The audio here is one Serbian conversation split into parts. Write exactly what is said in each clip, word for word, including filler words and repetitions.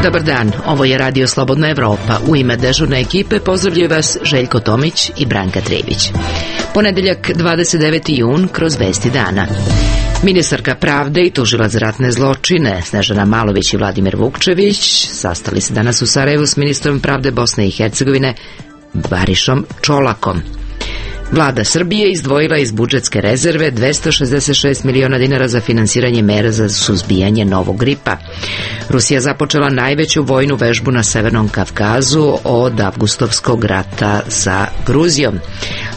Dobar dan, ovo je Radio Slobodna Evropa. U ime dežurne ekipe pozdravljaju vas Željko Tomić i Branka Trević. Ponedeljak, dvadeset deveti jun, kroz vesti dana. Ministarka pravde i tužilac za ratne zločine Snežana Malović i Vladimir Vukčević sastali se danas u Sarajevu s ministrom pravde Bosne i Hercegovine Barišom Čolakom. Vlada Srbije izdvojila iz budžetske rezerve dvesta šezdeset šest miliona dinara za finansiranje mera za suzbijanje novog gripa. Rusija započela najveću vojnu vežbu na Severnom Kavkazu od avgustovskog rata sa Gruzijom.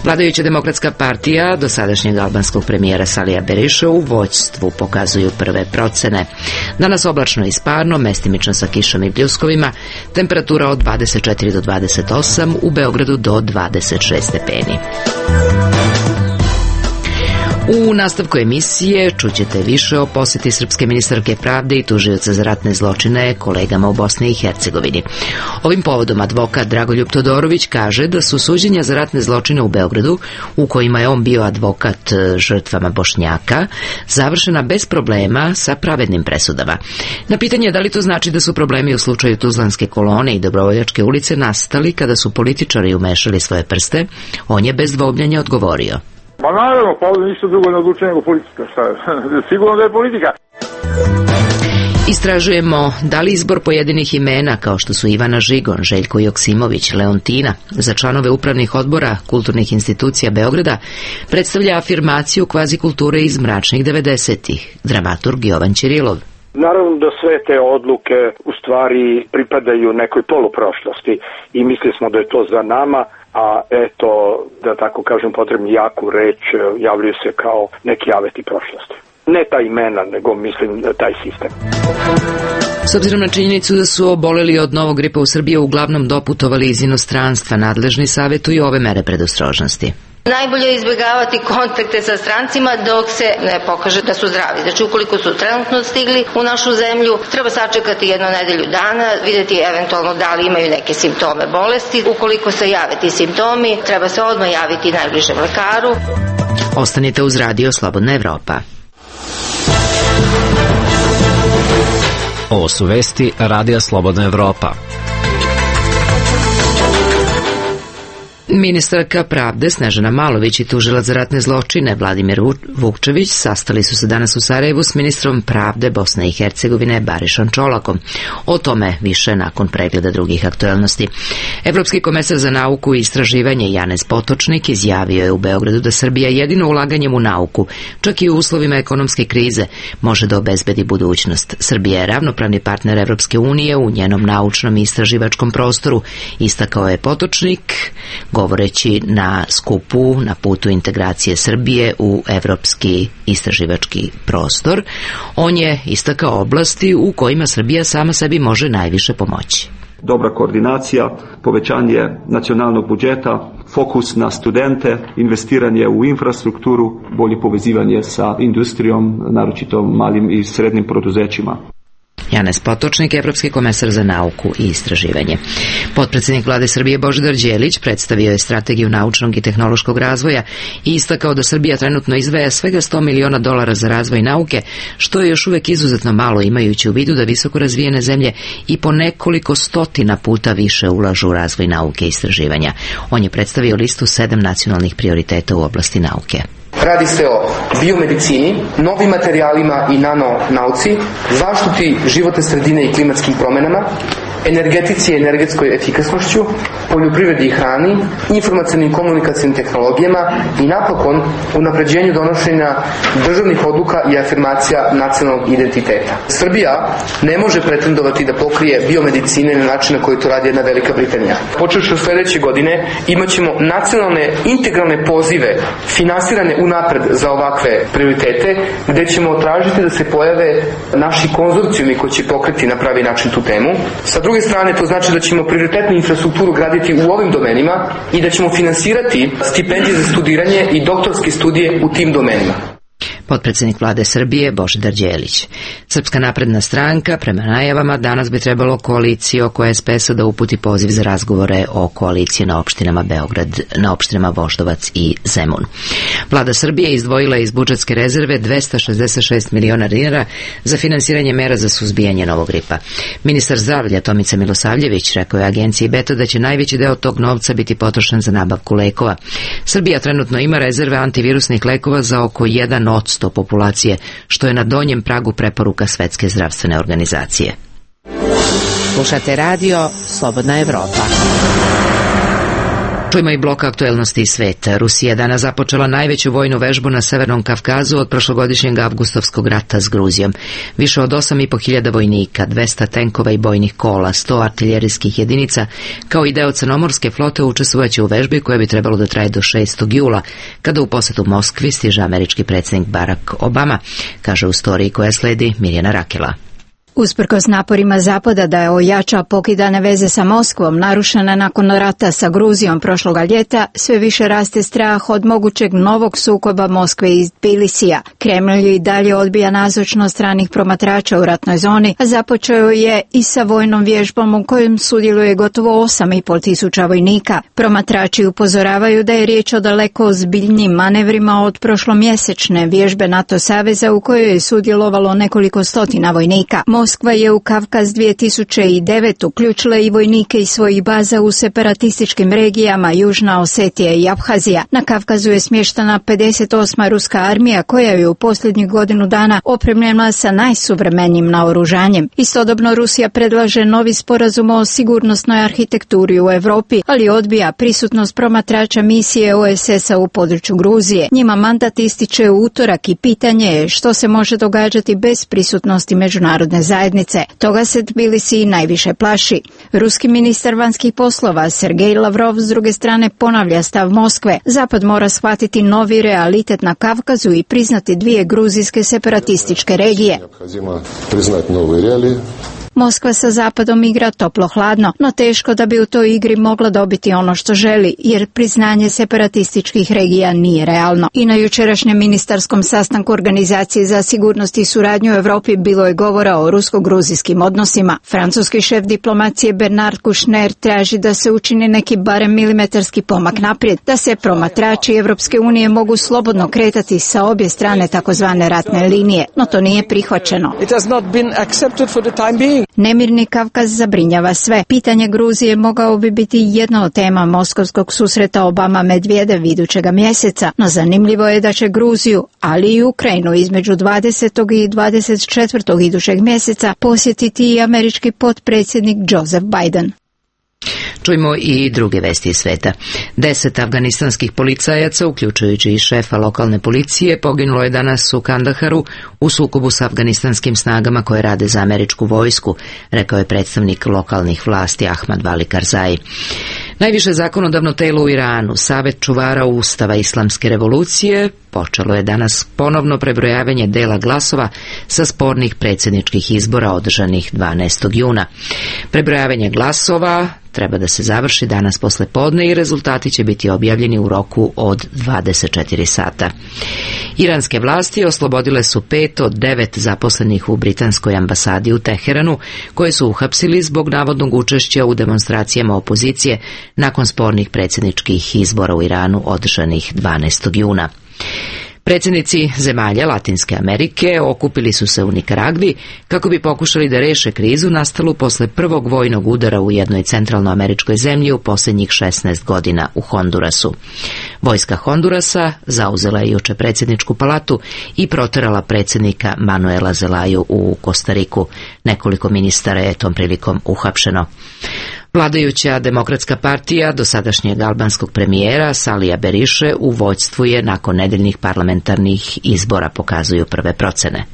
Vladajuća demokratska partija dosadašnjeg albanskog premijera Salija Beriša u vođstvu pokazuju prve procene. Danas oblačno i sparno, mestimično sa kišom i pljuskovima, temperatura od dvadeset četiri do dvadeset osam, u Beogradu do dvadeset šest stepeni. U nastavku emisije čućete više o poseti srpske ministarke pravde i tužioca za ratne zločine kolegama u Bosni i Hercegovini. Ovim povodom advokat Dragoljub Todorović kaže da su suđenja za ratne zločine u Beogradu, u kojima je on bio advokat žrtvama Bošnjaka, završena bez problema sa pravednim presudama. Na pitanje da li to znači da su problemi u slučaju Tuzlanske kolone i Dobrovoljačke ulice nastali kada su političari umešali svoje prste, on je bez dvomljenja odgovorio. Pa naravno, pa ovdje ništa drugo ne odlučuje nego politika. Šta je? Sigurno da je politika. Istražujemo da li izbor pojedinih imena kao što su Ivana Žigon, Željko Joksimović, Leontina za članove upravnih odbora kulturnih institucija Beograda predstavlja afirmaciju kvazi kulture iz mračnih devedesetih. Dramaturg Jovan Ćirilov. Naravno da sve te odluke u stvari pripadaju nekoj poluprošlosti i mislili smo da je to za nama, a eto, da tako kažem, potrebni jaku reč, javljaju se kao neki aveti prošlosti. Ne ta imena, nego mislim taj sistem. S obzirom na činjenicu da su oboleli od novog gripa u Srbiji uglavnom doputovali iz inostranstva, nadležni savjetuju ove mere predostrožnosti. Najbolje je izbjegavati kontakte sa strancima dok se ne pokaže da su zdravi. Znači, ukoliko su trenutno stigli u našu zemlju, treba sačekati jednu nedelju dana, vidjeti eventualno da li imaju neke simptome bolesti. Ukoliko se jave ti simptomi, treba se odmah javiti najbližem lekaru. Ostanite uz Radio Slobodna Evropa. Ovo su vesti Radija Slobodna Evropa. Ministarka pravde Snežana Malović i tužilac za ratne zločine Vladimir Vukčević sastali su se danas u Sarajevu s ministrom pravde Bosne i Hercegovine Barišom Čolakom. O tome više nakon pregleda drugih aktuelnosti. Evropski komesar za nauku i istraživanje Janez Potočnik izjavio je u Beogradu da Srbija jedino ulaganjem u nauku, čak i u uslovima ekonomske krize, može da obezbedi budućnost. Srbija je ravnopravni partner Evropske unije u njenom naučnom i istraživačkom prostoru, istakao je Potočnik, govoreći na skupu na putu integracije Srbije u evropski istraživački prostor. On je istakao oblasti u kojima Srbija sama sebi može najviše pomoći. Dobra koordinacija, povećanje nacionalnog budžeta, fokus na studente, investiranje u infrastrukturu, bolje povezivanje sa industrijom, naročito malim i srednjim preduzećima. Janez Potočnik, evropski komesar za nauku i istraživanje. Potpredsjednik vlade Srbije Božidar Đelić predstavio je strategiju naučnog i tehnološkog razvoja i istakao da Srbija trenutno izdvaja svega sto miliona dolara za razvoj nauke, što je još uvek izuzetno malo imajući u vidu da visoko razvijene zemlje i po nekoliko stotina puta više ulažu u razvoj nauke i istraživanja. On je predstavio listu sedam nacionalnih prioriteta u oblasti nauke. Radi se o biomedicini, novim materijalima i nanonauci, zaštiti životne sredine i klimatskim promenama, energetici i energetskoj efikasnošću, poljoprivredi i hrani, informacionim komunikacijnim tehnologijama i napokon unapređenju donošenja državnih odluka i afirmacija nacionalnog identiteta. Srbija ne može pretendovati da pokrije biomedicine na način na koji to radi jedna Velika Britanija. Počevši od sljedeće godine imat ćemo nacionalne integralne pozive finansirane unapred za ovakve prioritete, gde ćemo tražiti da se pojave naši konzorcijumi koji će pokriti na pravi način tu temu. Sa druge strane, to znači da ćemo prioritetnu infrastrukturu graditi u ovim domenima i da ćemo finansirati stipendije za studiranje i doktorske studije u tim domenima. potpredsjednik vlade Srbije Božidar Đelić. Srpska napredna stranka prema najavama danas bi trebalo koaliciju oko es pe es-a da uputi poziv za razgovore o koaliciji na opštinama Beograd, na opštinama Voždovac i Zemun. Vlada Srbije izdvojila iz budžetske rezerve dvesta šezdeset šest miliona dinara za finansiranje mera za suzbijanje novog gripa. Ministar zdravlja Tomica Milosavljević rekao je agenciji Beta da će najveći deo tog novca biti potrošen za nabavku lekova. Srbija trenutno ima rezerve antivirusnih lekova za oko jedan odsto populacije, što je na donjem pragu preporuka Svetske zdravstvene organizacije. Slušate radio Slobodna Evropa. Čujemo i blok aktuelnosti iz sveta. Rusija je danas započela najveću vojnu vežbu na Severnom Kavkazu od prošlogodišnjeg avgustovskog rata s Gruzijom. Više od osam i po hiljada vojnika, dvesta tenkova i bojnih kola, sto artiljerijskih jedinica, kao i deo crnomorske flote učestvovaće u vežbi koja bi trebalo da traje do šestog jula, kada u posetu Moskvi stiže američki predsjednik Barack Obama, kaže u storiji koja sledi Mirjana Rakela. Usprkos naporima Zapada da ojača pokidane veze sa Moskvom, narušene nakon rata sa Gruzijom prošloga ljeta, sve više raste strah od mogućeg novog sukoba Moskve i Tbilisija. Kremlj i dalje odbija nazočnost stranih promatrača u ratnoj zoni, a započeo je i sa vojnom vježbom u kojem sudjeluje gotovo osam i pol tisuća vojnika. Promatrači upozoravaju da je riječ o daleko ozbiljnijim manevrima od prošlomjesečne vježbe NATO saveza u kojoj je sudjelovalo nekoliko stotina vojnika. Moskva je u Kavkaz dvije tisuće devet uključila i vojnike iz svojih baza u separatističkim regijama Južna Osetija i Abhazija. Na Kavkazu je smještena pedeset osma ruska armija koja je u posljednjih godinu dana opremljena sa najsuvremenijim naoružanjem. Istodobno Rusija predlaže novi sporazum o sigurnosnoj arhitekturi u Europi, ali odbija prisutnost promatrača misije o es es-a u području Gruzije. Njima mandat ističe u utorak i pitanje je što se može događati bez prisutnosti međunarodne zajednice. Toga se Tbilisi najviše plaši. Ruski ministar vanjskih poslova Sergej Lavrov s druge strane ponavlja stav Moskve. Zapad mora shvatiti novi realitet na Kavkazu i priznati dvije gruzijske separatističke regije. Moskva sa Zapadom igra toplo-hladno, no teško da bi u toj igri mogla dobiti ono što želi, jer priznanje separatističkih regija nije realno. I na jučerašnjem ministarskom sastanku Organizacije za sigurnost i suradnju u Europi bilo je govora o rusko-gruzijskim odnosima. Francuski šef diplomacije Bernard Kouchner traži da se učini neki barem milimetarski pomak naprijed, da se promatrači Evropske unije mogu slobodno kretati sa obje strane takozvane ratne linije, no to nije prihvaćeno. Nemirni Kavkaz zabrinjava sve. Pitanje Gruzije mogao bi biti jedna od tema moskovskog susreta Obama-Medvedev idućega mjeseca, no zanimljivo je da će Gruziju, ali i Ukrajinu između dvadesetog i dvadeset četvrtog idućeg mjeseca posjetiti i američki potpredsjednik Joseph Biden. Čujmo i druge vesti iz sveta. Deset afganistanskih policajaca, uključujući i šefa lokalne policije, poginulo je danas u Kandaharu u sukobu sa afganistanskim snagama koje rade za američku vojsku, rekao je predstavnik lokalnih vlasti Ahmad Vali Karzai. Najviše zakonodavno telo u Iranu, Savet čuvara Ustava Islamske revolucije, počelo je danas ponovno prebrojavanje dela glasova sa spornih predsjedničkih izbora održanih dvanaestog juna. Prebrojavanje glasova treba da se završi danas posle podne i rezultati će biti objavljeni u roku od dvadeset četiri sata. Iranske vlasti oslobodile su pet od devet zaposlenih u britanskoj ambasadi u Teheranu, koje su uhapsili zbog navodnog učešća u demonstracijama opozicije nakon spornih predsjedničkih izbora u Iranu održanih dvanaestog juna. Predsjednici zemalja Latinske Amerike okupili su se u Nikaragvi kako bi pokušali da reše krizu nastalu posle prvog vojnog udara u jednoj centralnoameričkoj zemlji u posljednjih šesnaest godina u Hondurasu. Vojska Hondurasa zauzela je juče predsjedničku palatu i proterala predsjednika Manuela Zelaju u Kostariku. Nekoliko ministara je tom prilikom uhapšeno. Vladajuća Demokratska partija dosadašnjeg albanskog premijera Salija Beriše u vođstvu je nakon nedeljnih parlamentarnih izbora, pokazuju prve procene.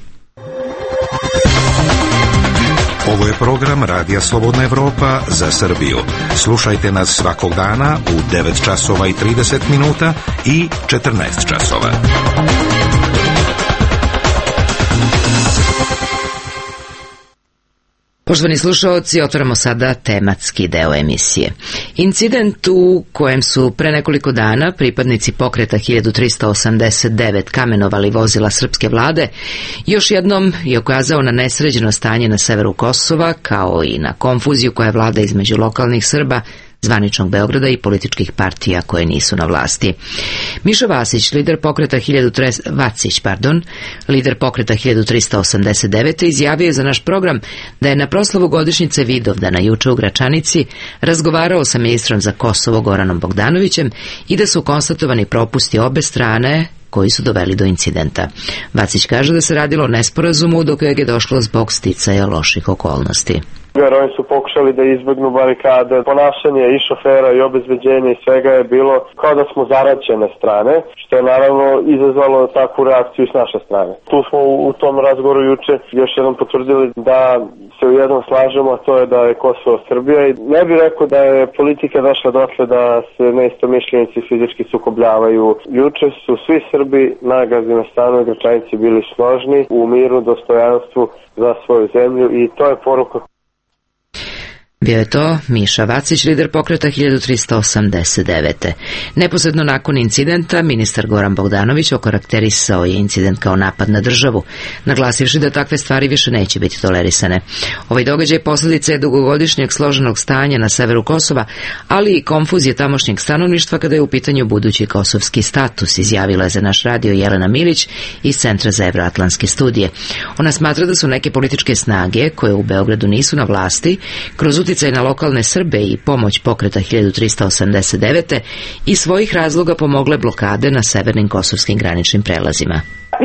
Ovo je program Radija Slobodna Evropa za Srbiju. Slušajte nas svakog dana u devet časova i trideset minuta i četrnaest časova. Poštovani slušaoci, otvaramo sada tematski deo emisije. Incident u kojem su pre nekoliko dana pripadnici pokreta hiljadu trista osamdeset devet kamenovali vozila srpske vlade, još jednom je ukazao na nesređeno stanje na severu Kosova, kao i na konfuziju koja vlada između lokalnih Srba, zvaničnog Beograda i političkih partija koje nisu na vlasti. Miša Vasić, lider pokreta hiljadu trista Vacić, pardon, lider pokreta hiljadu trista osamdeset devet izjavio je za naš program da je na proslavu godišnjice Vidovdana juče u Gračanici razgovarao sa ministrom za Kosovo Goranom Bogdanovićem i da su konstatovani propusti obe strane koji su doveli do incidenta. Vacić kaže da se radilo o nesporazumu do kojeg je došlo zbog sticaja loših okolnosti. Jer oni su pokušali da izbegnu barikade, ponašanje i šofera i obezbeđenja i svega je bilo kao da smo zaraćene strane, što je naravno izazvalo takvu reakciju s naše strane. Tu smo u tom razgovoru juče još jednom potvrdili da se u jednom slažemo, a to je da je Kosovo Srbija i ne bih rekao da je politika došla dotle da se neistomišljenici fizički sukobljavaju. Juče su svi Srbi na Gazimestanu i Gračanici bili složni u miru, dostojanstvu za svoju zemlju i to je poruka. Bio je to Miša Vacić, lider pokreta hiljadu trista osamdeset devet. Neposredno nakon incidenta, ministar Goran Bogdanović okarakterisao je incident kao napad na državu, naglasivši da takve stvari više neće biti tolerisane. Ovaj događaj posljedica je dugogodišnjeg složenog stanja na severu Kosova, ali i konfuzije tamošnjeg stanovništva kada je u pitanju budući kosovski status, izjavila je za naš radio Jelena Milić iz Centra za evroatlantske studije. Ona smatra da su neke političke snage, koje u Beogradu nisu na vlasti, kroz uticaj na lokalne Srbe i pomoć pokreta hiljadu trista osamdeset devet i svojih razloga pomogle blokade na severnim kosovskim graničnim prelazima.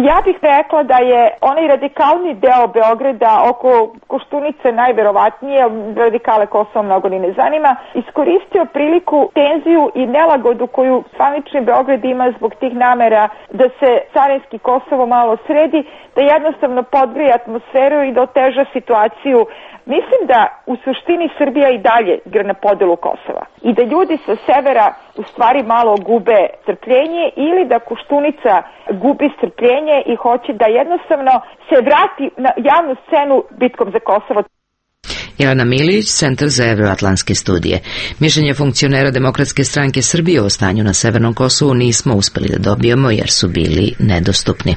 Ja bih rekla da je onaj radikalni deo Beograda oko Koštunice najverovatnije, radikale Kosova mnogo ni ne zanima, iskoristio priliku, tenziju i nelagodu koju zvanični Beograd ima zbog tih namera da se carinski Kosovo malo sredi, da jednostavno podgrije atmosferu i da oteža situaciju. Mislim da u suštini Srbija i dalje igra na podelu Kosova i da ljudi sa severa u stvari malo gube strpljenje ili da Koštunica gubi strpljenje i hoće da jednostavno se vrati na javnu scenu bitkom za Kosovo. Jelena Milić, Centar za evroatlantske studije. Mišljenje funkcionera Demokratske stranke Srbije o stanju na severnom Kosovu nismo uspeli da dobijemo jer su bili nedostupni.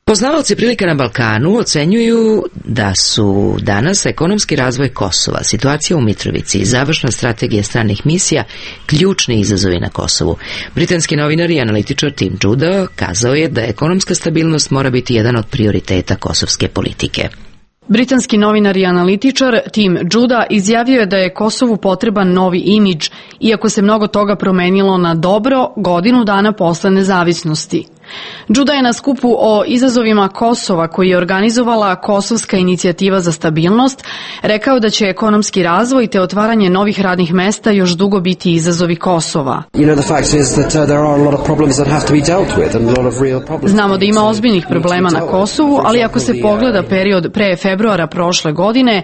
Poznavaoci prilika na Balkanu ocenjuju da su danas ekonomski razvoj Kosova, situacija u Mitrovici i završna strategija stranih misija ključni izazovi na Kosovu. Britanski novinar i analitičar Tim Judah kazao je da ekonomska stabilnost mora biti jedan od prioriteta kosovske politike. Britanski novinar i analitičar Tim Judah izjavio je da je Kosovu potreban novi imidž, iako se mnogo toga promenilo na dobro godinu dana posle nezavisnosti. Judah je na skupu o izazovima Kosova, koji je organizovala Kosovska inicijativa za stabilnost, rekao da će ekonomski razvoj te otvaranje novih radnih mesta još dugo biti izazovi Kosova. Znamo da ima ozbiljnih problema na Kosovu, ali ako se pogleda period pre februara prošle godine,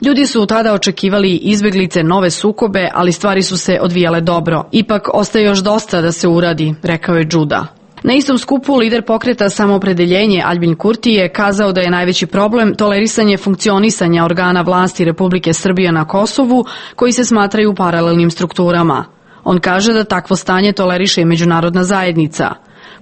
ljudi su tada očekivali izbeglice, nove sukobe, ali stvari su se odvijale dobro. Ipak ostaje još dosta da se uradi, rekao je Judah. Na istom skupu lider pokreta Samoopredeljenje Aljbin Kurti je kazao da je najveći problem tolerisanje funkcionisanja organa vlasti Republike Srbije na Kosovu, koji se smatraju paralelnim strukturama. On kaže da takvo stanje toleriše i međunarodna zajednica.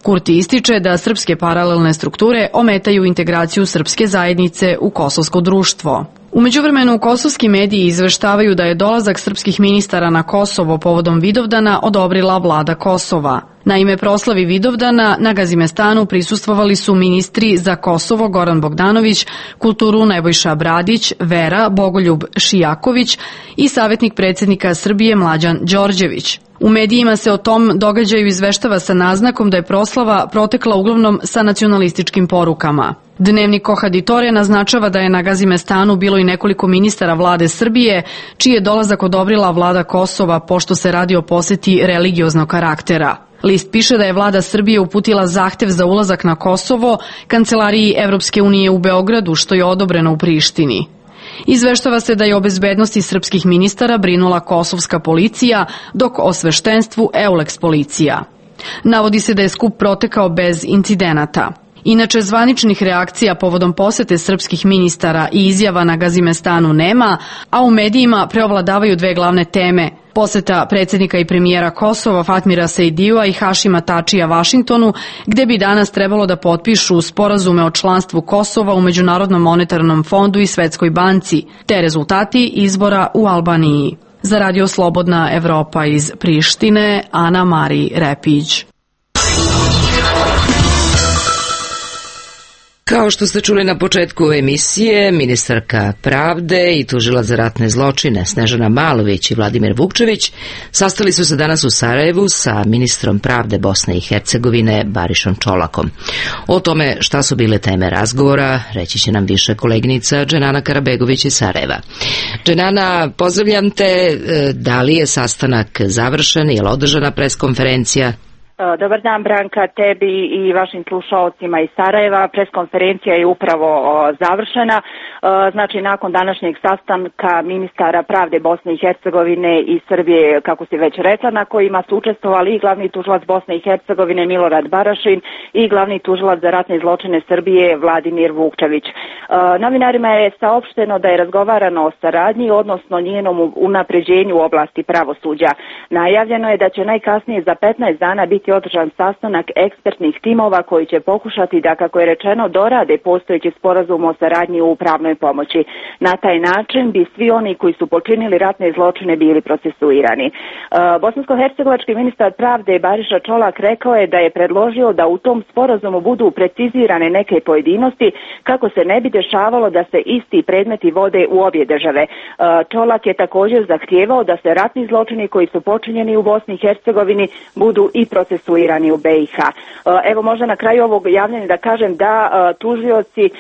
Kurti ističe da srpske paralelne strukture ometaju integraciju srpske zajednice u kosovsko društvo. U međuvremenu kosovski mediji izveštavaju da je dolazak srpskih ministara na Kosovo povodom Vidovdana odobrila vlada Kosova. Na ime proslavi Vidovdana na Gazimestanu prisustvovali su ministri za Kosovo Goran Bogdanović, kulturu Nebojša Bradić, Vera Bogoljub Šijaković i savjetnik predsjednika Srbije Mlađan Đorđević. U medijima se o tom događaju izveštava sa naznakom da je proslava protekla uglavnom sa nacionalističkim porukama. Dnevnik Kohaditore naznačava da je na Gazimestanu bilo i nekoliko ministara vlade Srbije, čiji je dolazak odobrila vlada Kosova pošto se radi o poseti religioznog karaktera. List piše da je vlada Srbije uputila zahtev za ulazak na Kosovo Kancelariji Evropske unije u Beogradu, što je odobreno u Prištini. Izveštava se da je o bezbednosti srpskih ministara brinula kosovska policija, dok o sveštenstvu Euleks policija. Navodi se da je skup protekao bez incidenata. Inače, zvaničnih reakcija povodom posete srpskih ministara i izjava na Gazimestanu nema, a u medijima preovladavaju dve glavne teme. Poseta predsjednika i premijera Kosova Fatmira Sejdijua i Hašima Tačija Vašingtonu, gde bi danas trebalo da potpišu sporazume o članstvu Kosova u Međunarodnom monetarnom fondu i Svetskoj banci, te rezultati izbora u Albaniji. Za Radio Slobodna Evropa iz Prištine, Ana Mari Repić. Kao što ste čuli na početku emisije, ministarka pravde i tužilac za ratne zločine Snežana Malović i Vladimir Vukčević sastali su se danas u Sarajevu sa ministrom pravde Bosne i Hercegovine Barišom Čolakom. O tome šta su bile teme razgovora reći će nam više koleginica Dženana Karabegović iz Sarajeva. Dženana, pozdravljam te. Da li je sastanak završen? Je li održana preskonferencija? Dobar dan, Branka, tebi i vašim slušalcima iz Sarajeva. Preskonferencija je upravo završena. Znači, nakon današnjeg sastanka ministara pravde Bosne i Hercegovine i Srbije, kako si već rekla, na kojima su učestvovali i glavni tužilac Bosne i Hercegovine Milorad Barašin i glavni tužilac za ratne zločine Srbije Vladimir Vukčević. Novinarima je saopšteno da je razgovarano o saradnji, odnosno njenom unapređenju u oblasti pravosuđa. Najavljeno je da će najkasnije za petnaest dana biti održan sastanak ekspertnih timova koji će pokušati da, kako je rečeno, dorade postojeći sporazum o saradnji u pravnoj pomoći. Na taj način bi svi oni koji su počinili ratne zločine bili procesuirani. Bosansko-hercegovački ministar pravde Bariša Čolak rekao je da je predložio da u tom sporazumu budu precizirane neke pojedinosti kako se ne bi dešavalo da se isti predmeti vode u obje države. Čolak je također zahtijevao da se ratni zločini koji su počinjeni u Bosni i Hercegovini budu i procesuirani u B i H. Evo, možda na kraju ovog javljanja da kažem da tužioci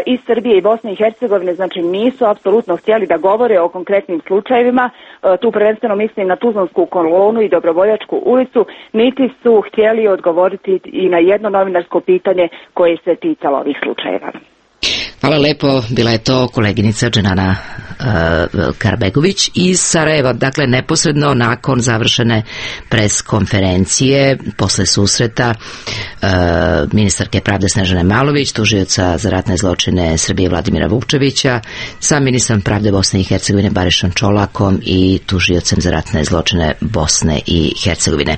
iz Srbije i Bosne i Hercegovine znači nisu apsolutno htjeli da govore o konkretnim slučajevima, tu prvenstveno mislim na Tuzlansku kolonu i Dobrovoljačku ulicu, niti su htjeli odgovoriti i na jedno novinarsko pitanje koje se ticalo ovih slučajeva. Hvala lepo, bila je to koleginica Dženana uh, Karabegović iz Sarajeva. Dakle, neposredno nakon završene preskonferencije, posle susreta uh, ministarke pravde Snežane Malović, tužioca za ratne zločine Srbije Vladimira Vukčevića, sa ministrom pravde Bosne i Hercegovine Barišom Čolakom i tužiocem za ratne zločine Bosne i Hercegovine.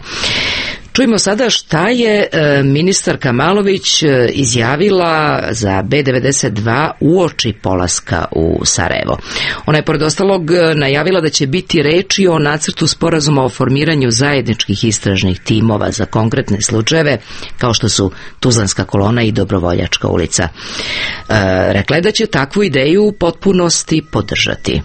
Čujemo sada šta je ministarka Malović izjavila za B devedeset dva uoči polaska u Sarajevo. Ona je pored ostalog najavila da će biti reči o nacrtu sporazuma o formiranju zajedničkih istražnih timova za konkretne slučajeve kao što su Tuzlanska kolona i Dobrovoljačka ulica. E, rekla je da će takvu ideju u potpunosti podržati.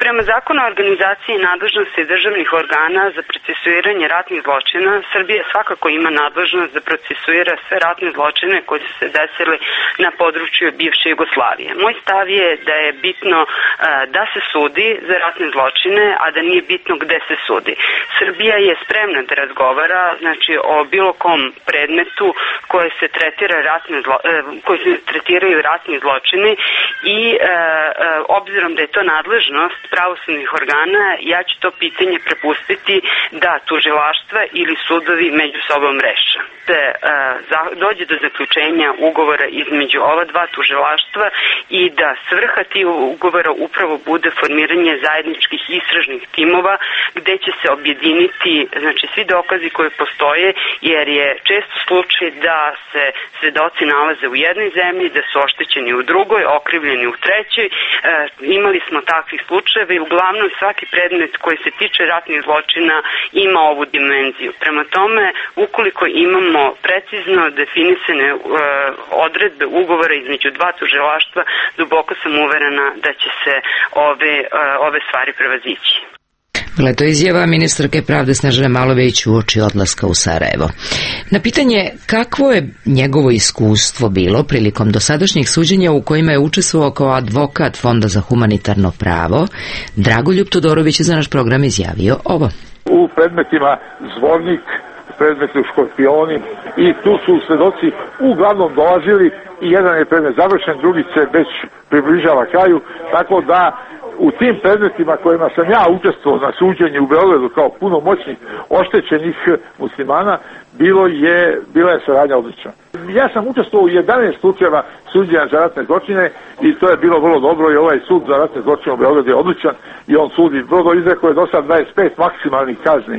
Prema zakonu o organizaciji i nadležnosti državnih organa za procesuiranje ratnih zločina, Srbija svakako ima nadležnost da procesuira sve ratne zločine koji su se desili na području bivše Jugoslavije. Moj stav je da je bitno uh, da se sudi za ratne zločine, a da nije bitno gde se sudi. Srbija je spremna da razgovara, znači, o bilo kom predmetu koje se tretira ratne zlo, uh, koji se tretiraju ratni zločini i uh, uh, obzirom da je to nadležnost pravosudnih organa, ja ću to pitanje prepustiti da tužilaštva ili sudovi među sobom reše. Se uh, za, dođe do zaključenja ugovora između ova dva tužilaštva i da svrha tih ugovora upravo bude formiranje zajedničkih istražnih timova gde će se objediniti, znači, svi dokazi koji postoje, jer je često slučaj da se svedoci nalaze u jednoj zemlji, da su oštećeni u drugoj, okrivljeni u trećoj. Uh, imali smo takvih slučajeva i uglavnom svaki predmet koji se tiče ratnih zločina ima ovu dimenziju. Prema tome, ukoliko imamo precizno definisane uh, odredbe ugovora između dva tužilaštva, duboko sam uverena da će se ove, uh, ove stvari prevazići. Bila je to izjava ministarke pravde Snežane Malović uoči odlaska u Sarajevo. Na pitanje kakvo je njegovo iskustvo bilo prilikom dosadašnjih suđenja u kojima je učestvovao kao advokat Fonda za humanitarno pravo, Dragoljub Todorović je za naš program izjavio ovo. U predmetima Zvornik, predmetu Škorpioni, i tu su svedoci uglavnom dolazili i jedan je predmet završen, drugi se već približava kraju, tako da u tim predmetima kojima sam ja učestvovao na suđenju u Beogradu kao punomoćnik oštećenih muslimana, bilo je, bila je saradnja odlična. Ja sam učestvovao u jedanaest slučajeva suđenja za ratne zločine i to je bilo vrlo dobro i ovaj sud za ratne zločine u Beogradu je odličan i on sudi vrlo izrekao je do sad dvadeset pet maksimalnih kazni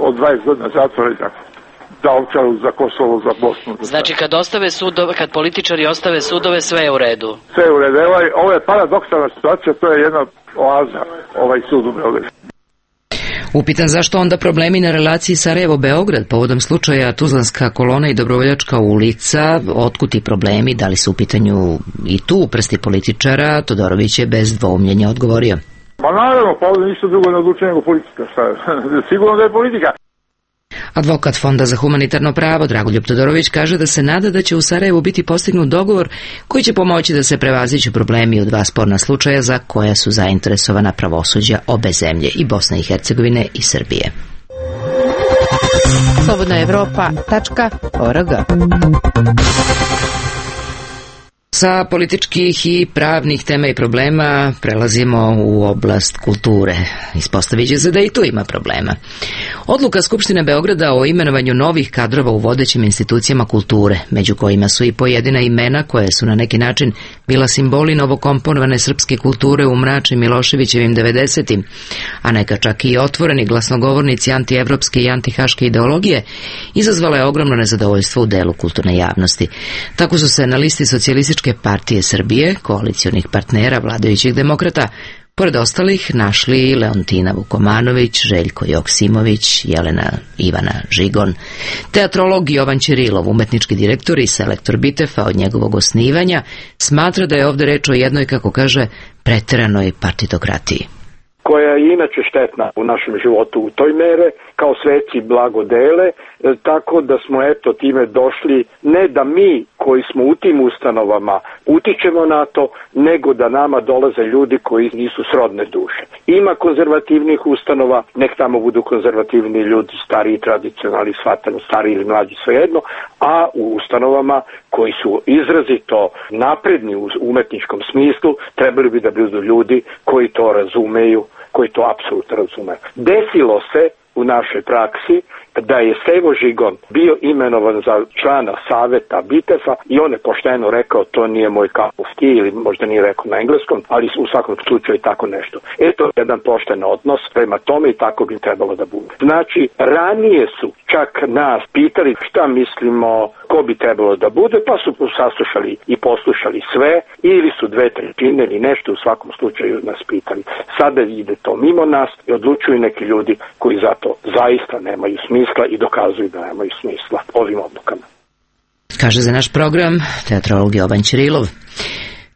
od dvadeset godina zatvora i tako. Za Ovčaru, za Kosovo, za Bosnu. Za znači kad ostave sudove, kad političari ostave sudove, sve je u redu. Sve je u redu. Ovo je, ovo je paradoksalna situacija, to je jedna oaza, ovaj sud u Beogradu. Upitan zašto onda problemi na relaciji Sarajevo-Beograd povodom slučaja Tuzlanska kolona i Dobrovoljačka ulica, otkud ti problemi, da li su u pitanju i tu prsti političara, Todorović je bez dvoumljenja odgovorio. Ma naravno, pa ovdje ništa drugo ne odlučuje nego politika. Sigurno da je politika. Advokat Fonda za humanitarno pravo Dragoljub Todorović kaže da se nada da će u Sarajevu biti postignut dogovor koji će pomoći da se prevaziđu problemi u dva sporna slučaja za koja su zainteresovana pravosuđa obe zemlje, i Bosne i Hercegovine i Srbije. slobodna evropa tačka org. Sa političkih i pravnih tema i problema prelazimo u oblast kulture. Ispostavit će se da i tu ima problema. Odluka Skupštine Beograda o imenovanju novih kadrova u vodećim institucijama kulture, među kojima su i pojedina imena koje su na neki način bila simboli novokomponovane srpske kulture u mračnim Miloševićevim devedesetim, a neka čak i otvoreni glasnogovornici antievropske i antihaške ideologije, izazvala je ogromno nezadovoljstvo u delu kulturne javnosti. Tako su se na listi Socijalističke partije Srbije, koalicionih partnera vladajućih demokrata, pored ostalih našli Leontina Vukomanović, Željko Joksimović, Jelena Ivana Žigon, teatrolog Jovan Ćirilov, umetnički direktor i selektor Bitefa od njegovog osnivanja, smatra da je ovdje reč o jednoj, kako kaže, preteranoj partitokratiji. Koja je inače štetna u našem životu u toj mere, kao sveci blago dele, tako da smo eto time došli, ne da mi koji smo u tim ustanovama utičemo na to, nego da nama dolaze ljudi koji nisu srodne duše. Ima konzervativnih ustanova, nek tamo budu konzervativni ljudi, stariji, tradicionalni, shvatani, stari ili mlađi, svejedno, a u ustanovama koji su izrazito napredni u umetničkom smislu, trebali bi da budu ljudi koji to razumeju, koji to apsolutno razumeju. Desilo se u našoj praksi da je Stevo Žigon bio imenovan za člana saveta Bitefa i on je pošteno rekao to nije moj cup of tea, ili možda nije rekao na engleskom, ali u svakom slučaju tako nešto. Eto jedan pošten odnos prema tome i tako bi trebalo da bude. Znači, ranije su čak nas pitali šta mislimo ko bi trebalo da bude, pa su saslušali i poslušali sve, ili su dve trećine ili nešto, u svakom slučaju nas pitali. Sada ide to mimo nas i odlučuju neki ljudi koji zato zaista nemaju smisla i dokazuju da nemaju smisla ovim odlukama. Kaže za naš program teatrolog Jovan Ćirilov.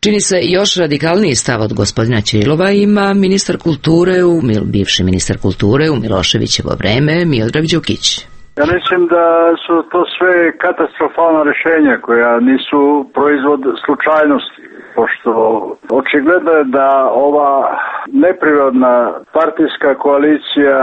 Čini se još radikalniji stav od gospodina Ćirilova ima ministar kulture, u, bivši ministar kulture u Miloševićevo vreme, Miodrag Đukić. Ja mislim da su to sve katastrofalna rješenja koja nisu proizvod slučajnosti, pošto očigledno je da ova neprirodna partijska koalicija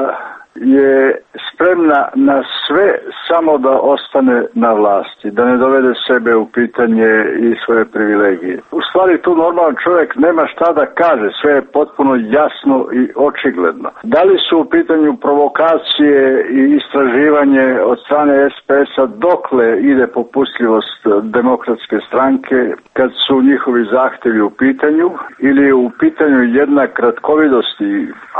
je spremna na sve samo da ostane na vlasti, da ne dovede sebe u pitanje i svoje privilegije. U stvari tu normalan čovjek nema šta da kaže, sve je potpuno jasno i očigledno. Da li su u pitanju provokacije i istraživanje od strane es pe es-a dokle ide popustljivost demokratske stranke kad su njihovi zahtjevi u pitanju, ili je u pitanju jedna kratkovidost i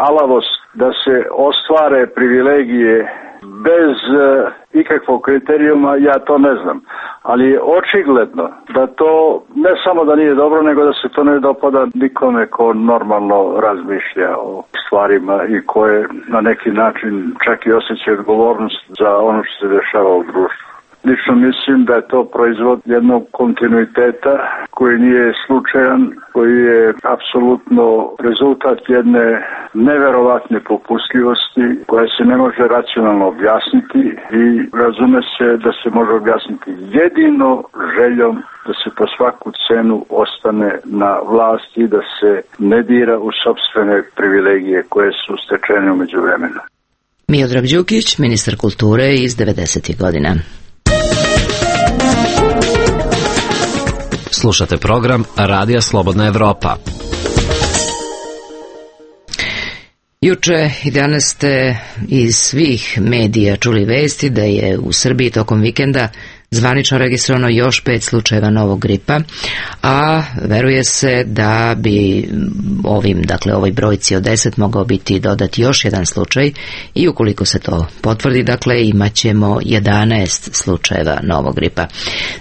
alavost da se ostvare privilegije bez uh, ikakvog kriterijuma, ja to ne znam. Ali je očigledno da to ne samo da nije dobro, nego da se to ne dopada nikome ko normalno razmišlja o stvarima i koje na neki način čak i osjeća odgovornost za ono što se dešava u društvu. Lično mislim da je to proizvod jednog kontinuiteta koji nije slučajan, koji je apsolutno rezultat jedne neverovatne popustljivosti koja se ne može racionalno objasniti i razume se da se može objasniti jedino željom da se po svaku cenu ostane na vlasti i da se ne dira u sopstvene privilegije koje su stečene u međuvremenu. Miodrag Đukić, ministar kulture iz devedesetih godina. Slušate program Radija Slobodna Evropa. Juče i danas ste iz svih medija čuli vesti da je u Srbiji tokom vikenda zvanično registrovano još pet slučajeva novog gripa, a veruje se da bi ovim, dakle ovoj brojci od deset mogao biti dodati još jedan slučaj i ukoliko se to potvrdi, dakle imat ćemo jedanaest slučajeva novog gripa.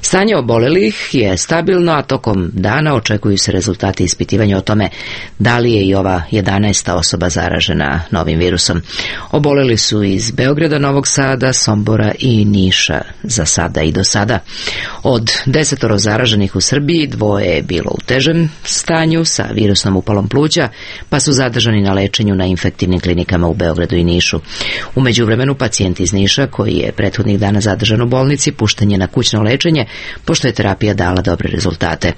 Stanje obolelih je stabilno, a tokom dana očekuju se rezultati ispitivanja o tome da li je i ova jedanaesta osoba zaražena novim virusom. Oboleli su iz Beograda, Novog Sada, Sombora i Niša za sada i do sada. Od desetoro zaraženih u Srbiji dvoje je bilo u težem stanju sa virusnom upalom pluća, pa su zadržani na lečenju na infektivnim klinikama u Beogradu i Nišu. U međuvremenu pacijent iz Niša, koji je prethodnih dana zadržan u bolnici, pušten je na kućno lečenje, pošto je terapija dala dobre rezultate.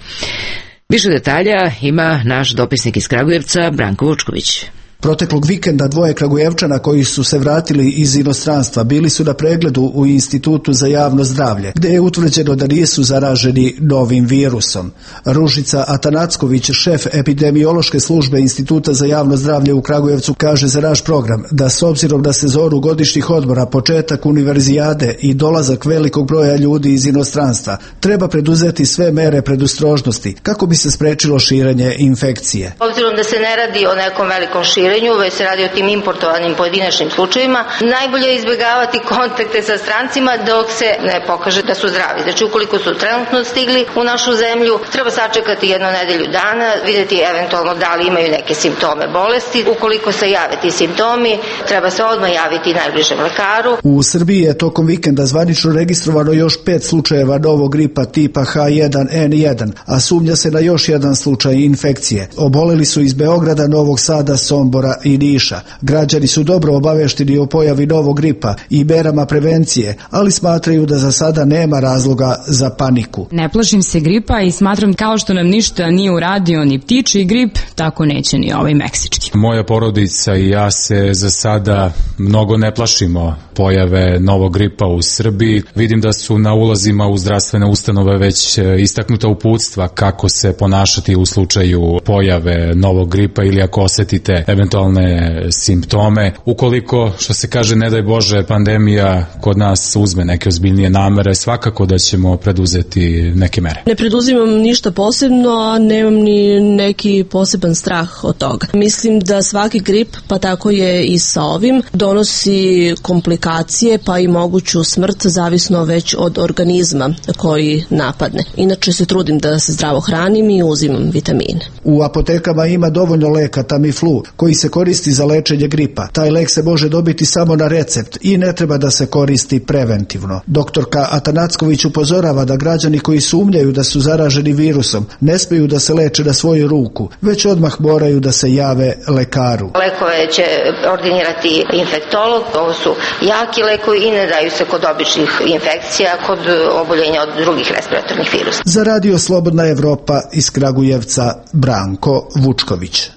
Više detalja ima naš dopisnik iz Kragujevca, Branko Vučković. Proteklog vikenda dvoje Kragujevčana koji su se vratili iz inostranstva bili su na pregledu u Institutu za javno zdravlje, gde je utvrđeno da nisu zaraženi novim virusom. Ružica Atanacković, šef epidemiološke službe Instituta za javno zdravlje u Kragujevcu, kaže za naš program da s obzirom na sezonu godišnjih odmora, početak univerzijade i dolazak velikog broja ljudi iz inostranstva, treba preduzeti sve mere predostrožnosti kako bi se sprečilo širenje infekcije. Obzirom da se ne radi o nekom velikom širenju, već se radi o tim importovanim pojedinačnim slučajevima, najbolje je izbjegavati kontakte sa strancima dok se ne pokaže da su zdravi. Znači, ukoliko su trenutno stigli u našu zemlju, treba sačekati jednu nedelju dana, vidjeti eventualno da li imaju neke simptome bolesti. Ukoliko se jave ti simptomi, treba se odmah javiti najbližem lekaru. U Srbiji je tokom vikenda zvanično registrovano još pet slučajeva novog gripa tipa H jedan N jedan, a sumnja se na još jedan slučaj infekcije. Oboleli su iz Beograda, Novog Sada, Sombora i Niša. Građani su dobro obavešteni o pojavi novog gripa i merama prevencije, ali smatraju da za sada nema razloga za paniku. Ne plašim se gripa i smatram kao što nam ništa nije uradio ni ptičji grip, tako neće ni ovaj meksički. Moja porodica i ja se za sada mnogo ne plašimo pojave novog gripa u Srbiji. Vidim da su na ulazima u zdravstvene ustanove već istaknuta uputstva kako se ponašati u slučaju pojave novog gripa ili ako osetite eventualne simptome. Ukoliko, što se kaže, ne daj Bože, pandemija kod nas uzme neke ozbiljnije namere, svakako da ćemo preduzeti neke mere. Ne preduzimam ništa posebno, a nemam ni neki poseban strah od toga. Mislim da svaki grip, pa tako je i sa ovim, donosi komplikacije pa i moguću smrt, zavisno već od organizma koji napadne. Inače se trudim da se zdravo hranim i uzimam vitamine. U apotekama ima dovoljno leka Tamiflu, koji se koristi za lečenje gripa. Taj lek se može dobiti samo na recept i ne treba da se koristi preventivno. Doktorka Atanacković upozorava da građani koji sumnjaju da su zaraženi virusom ne smiju da se leče na svoju ruku, već odmah moraju da se jave lekaru. Lekove će ordinirati infektolog, ovo su jaki lekovi i ne daju se kod običnih infekcija, kod oboljenja od drugih respiratornih virusa. Za Radio Slobodna Evropa iz Kragujevca, Branko Vučković.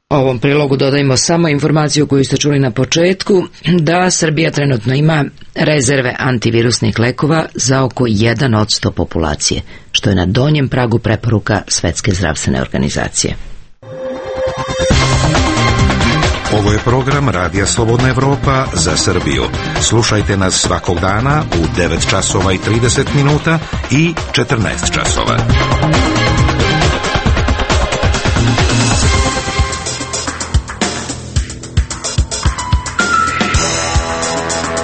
Ovom prilogu dodajmo samo informaciju koju ste čuli na početku, da Srbija trenutno ima rezerve antivirusnih lekova za oko jedan odsto populacije, što je na donjem pragu preporuka Svetske zdravstvene organizacije. Ovo je program Radija Slobodna Evropa za Srbiju. Slušajte nas svakog dana u devet časova i trideset minuta i četrnaest časova.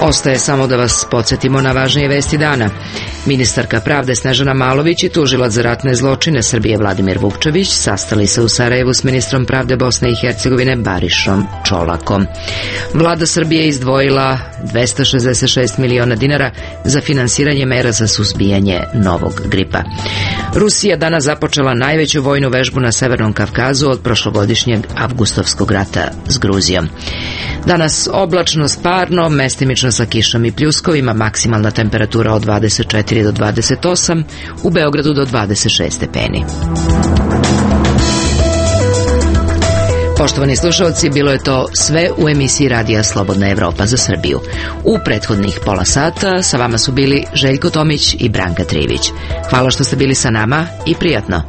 Ostaje samo da vas podsjetimo na važnije vesti dana. Ministarka pravde Snežana Malović i tužilac za ratne zločine Srbije Vladimir Vukčević sastali se u Sarajevu s ministrom pravde Bosne i Hercegovine Barišom Čolakom. Vlada Srbije izdvojila dvesta šezdeset šest miliona dinara za finansiranje mera za suzbijanje novog gripa. Rusija danas započela najveću vojnu vežbu na Severnom Kavkazu od prošlogodišnjeg avgustovskog rata s Gruzijom. Danas oblačno, parno, mestimično sa kišom i pljuskovima, maksimalna temperatura od dvadeset četiri do dvadeset osam, u Beogradu do dvadeset šest stepeni. Poštovani slušalci, bilo je to sve u emisiji Radija Slobodna Evropa za Srbiju. U prethodnih pola sata sa vama su bili Željko Tomić i Branka Trivić. Hvala što ste bili sa nama i prijatno.